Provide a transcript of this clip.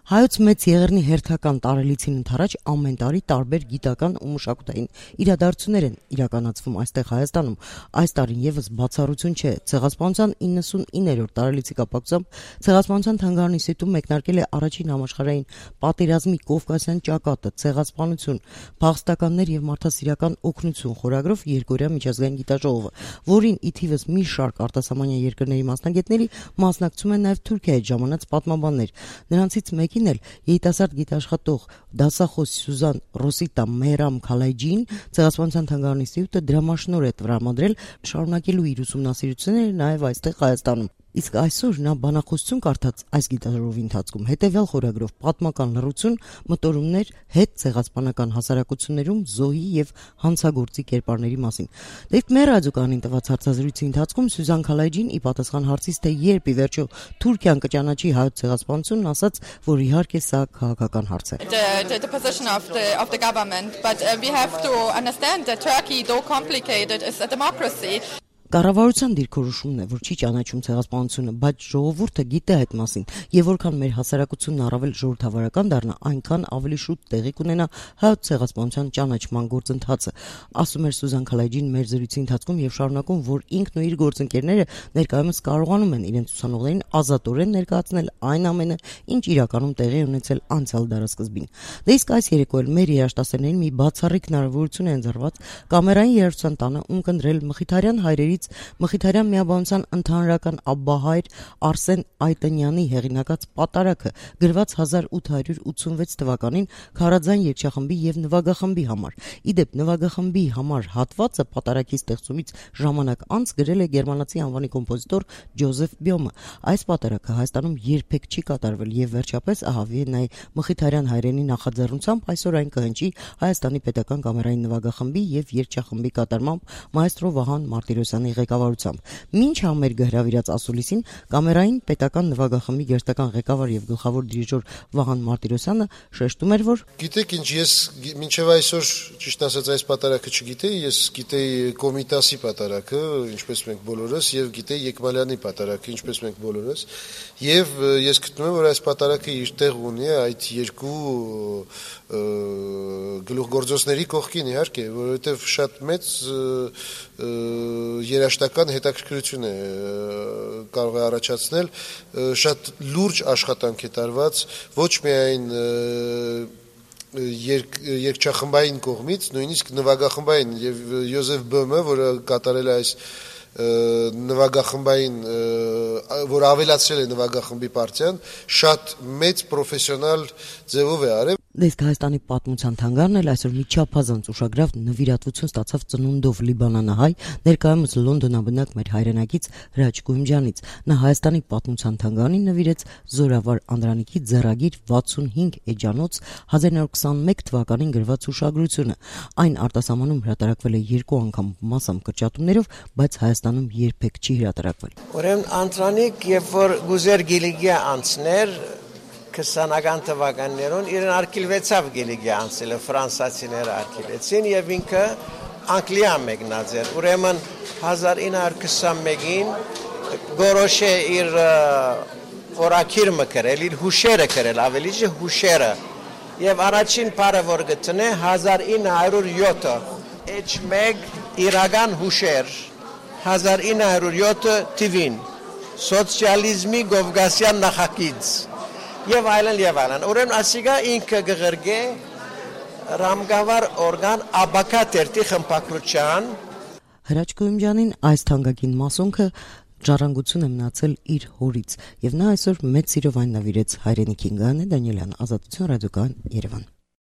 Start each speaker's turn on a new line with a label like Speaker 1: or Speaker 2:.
Speaker 1: Հայոց մեծ եղեռնի հերթական տարելիցին ընթരാճ ամեն տարի տարբեր գիտական ու մշակութային իրադարձություններ են իրականացվում այստեղ Հայաստանում։ Այս տարին եւս բացառություն չէ։ Ցեղասպանության 99-րդ տարելիցի կապակցությամբ Ցեղասպանության թանգարանի սիտում մեկնարկել է առաջին համաշխարհային պատերազմի Կովկասյան ճակատը, ցեղասպանություն, փախստականներ եւ մարդասիրական օգնություն խորագրով երկօրյա միջազգային գիտաժողովը, որին ի թիվս մի շարք արտասահմանյան երկրների մասնագետների մասնակցում են նաեւ Թուրքիայից ժամանած պատմաբաններ։ Նրանցից մեկին էլ երիտասարդ գիտաշխատող դասախոս Սյուզան Ռոսիտա Մեհրամ Քալայջին Ցեղասպանության թանգարանի սիուտը դրամաշնոր է տրամադրել շարունակելու իր ուսումնասիրությունները նաև այստեղ Հայաստանում։ Իսկ այսօր նա բանախոսություն կարդաց այս գիտաժողովի ընթացքում հետևյալ խորագրով պատմական լռություն, մտորումներ հետ ցեղասպանական հասարակություններում զոհի եւ հանցագործի կերպարների մասին։ Դեպի մեր ռադիոկայանին տված հարցազրույցի ընթացքում Սյուզան Քալայջին ի պատասխան հարցից թե երբ ի վերջո Թուրքիան կճանաչի հայոց ցեղասպանությունն ասաց, որ իհարկե սա քաղաքական հարց է։
Speaker 2: The position of the government, but we have to understand that Turkey, though complicated, is a democracy.
Speaker 1: Կառավարության դիրքորոշումն է, որ չի ճանաչում ցեղասպանությունը, բայց ժողովուրդը գիտե այդ մասին, եւ որքան մեր հասարակությունն առավել ժողովրդավարական դառնա, այնքան ավելի շուտ տեղի կունենա հայոց ցեղասպանության ճանաչման գործընթացը, ասում էր Սյուզան Քալայջին մեր զրույցի ընթացքում եւ շարունակում, որ ինքն ու իր գործընկերները ներկայումս կարողանում են իրենց ուսանողներին ազատորեն ներկայացնել այն ամենը, ինչ իրականում տեղի ունեցել անցյալ դարասկզբին։ Դե իսկ այս երեկո էլ մեր երաժշտասերներին մի բացառիկ հնարավորություն է ընձեռված կամերային երաժշտության տանը ունկնդրել Մխիթարյան հայրերի Մխիթարյան միաբանության ընդհանրական աբբահայր Արսեն Այտնյանի հեղինակած պատարագը գրված 1886 թվականին Քարաձայն երգչախմբի եւ նվագախմբի համար։ Իդեպ նվագախմբի համար հատվածը պատարագի ստեղծումից ժամանակ անց գրել է գերմանացի անվանի կոմպոզիտոր Ջոզեֆ Բյոմը։ Այս պատարագը Հայաստանում երբեք չի կատարվել եւ վերջապես ահա Վիեննայի Մխիթարյան հայրենի նախաձեռնությամբ այսօր այն կհնչի Հայաստանի պետական կամերային նվագախմբի եւ երգչախմբի կատարմամբ մայստրո Վահան Մարտիրոսյանի ղեկավարությամբ։ Մինչ համերգը հրավիրած ասուլիսին կամերային պետական նվագախմբի գերստական ղեկավար եւ գլխավոր դիրիժոր Վահան Մարտիրոսյանը շեշտում էր, որ
Speaker 3: գիտեք ինչ, ես մինչեւ այսօր ճիշտ ասած այս պատարագը չգիտեի, ես գիտեի Կոմիտասի պատարագը, ինչպես մենք բոլորս, եւ գիտեի Եկմալյանի պատարագը, ինչպես մենք բոլորս, եւ ես գտնում եմ, որ այս պատարագը իր տեղ ունի այդ երկու գլուխգործոցների կողքին, իհարկե, որովհետեւ շատ մեծ երաժշտական հետաքրքրություն է կարող է առաջացնել, շատ լուրջ աշխատանք է տարված ոչ միայն երգչախմբային կողմից, նույնիսկ նվագախմբային եւ Յոզեֆ Բոմը, որը կատարել է այս նվագախմբային, որ ավելացրել է նվագախմբի պարտիան, շատ մեծ պրոֆեսիոնալ ձևով է արել։
Speaker 1: Իսկ Հայաստանի պատմության թանգարանն էլ այսօր մի չափազանց ուշագրավ նվիրատվություն ստացավ ծնունդով լիբանանահայ, ներկայումս Լոնդոնաբնակ մեր հայրենակից Հրաչ Գույմջյանից։ Նա Հայաստանի պատմության թանգարանին նվիրեց Զորավար Անդրանիկի ձեռագիր 65 էջանոց 1921 թվականին գրված հուշագրությունը։ Այն արտասահմանում հրատարակվել է 2 անգամ մասամբ կրճատումներով, բայց Հայաստանում երբեք չի հրատարակվել։
Speaker 4: Ուրեմն Անդրանիկ, երբ որ Գուզեր Գիլիգիա անցներ 20-ական թվականներուն իրեն արկիլվեցավ Գիլիգիա անցելը, ֆրանսացիները արկիլեցին եւ ինքը Անգլիա մեկնած էր։ Ուրեմն 1921-ին գորոշե իր օրակիրը գրել, իր հուշերը գրել, ավելի ջի հուշերը։ Եվ առաջին բառը որ գտնե 1907-ը, H1 իրական հուշեր 1907 թվին, սոցիալիզմի Կովկասյան նախագիծ եւ այլն։ Ուրեմն ասիգա ինքը գղրգե ռամգավար օրգան աբակա տերտի խմբակրության
Speaker 1: Հրաչ Գույմջյանին այս թանկագին մասոնքը ժառանգություն է մնացել իր հորից եւ նա այսօր մեծ սիրով այն նվիրեց հայրենիքին։ Գայանե Դանիելյան, Ազատություն ռադիոկայան, Երևան։